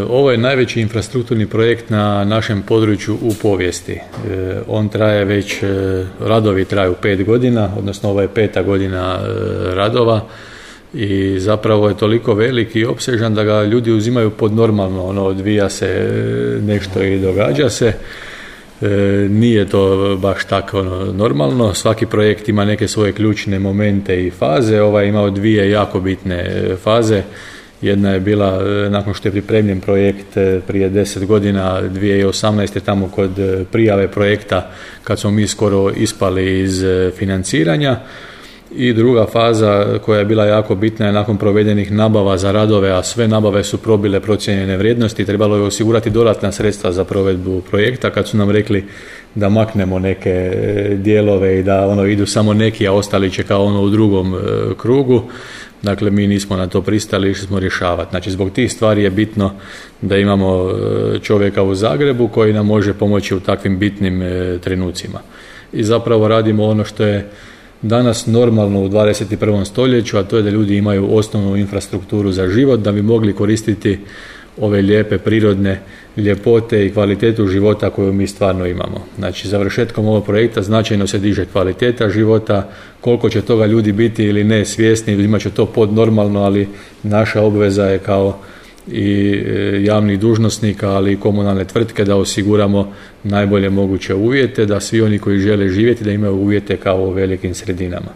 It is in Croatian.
Ovo je najveći infrastrukturni projekt na našem području u povijesti. On traje već, radovi traju 5 godina, odnosno ovo je 5. godina radova i zapravo je toliko veliki i opsežan da ga ljudi uzimaju pod normalno, odvija se nešto i događa se. Nije to baš tako normalno, svaki projekt ima neke svoje ključne momente i faze, ovaj je imao 2 jako bitne faze. Jedna je bila nakon što je pripremljen projekt prije 10 godina, 2018. tamo kod prijave projekta kad smo mi skoro ispali iz financiranja. I druga faza koja je bila jako bitna je nakon provedenih nabava za radove, a sve nabave su probile procijenjene vrijednosti, trebalo je osigurati dodatna sredstva za provedbu projekta kad su nam rekli da maknemo neke dijelove i da idu samo neki, a ostali će kao u drugom krugu. Dakle, mi nismo na to pristali, išli smo rješavati. Znači, zbog tih stvari je bitno da imamo čovjeka u Zagrebu koji nam može pomoći u takvim bitnim trenucima. I zapravo radimo ono što je danas normalno u 21. stoljeću, a to je da ljudi imaju osnovnu infrastrukturu za život, da bi mogli koristiti ove lijepe prirodne ljepote i kvalitetu života koju mi stvarno imamo. Znači, završetkom ovog projekta značajno se diže kvaliteta života, koliko će toga ljudi biti ili ne svjesni, imat će to podnormalno, ali naša obveza je kao i javnih dužnosnika, ali i komunalne tvrtke da osiguramo najbolje moguće uvjete, da svi oni koji žele živjeti da imaju uvjete kao u velikim sredinama.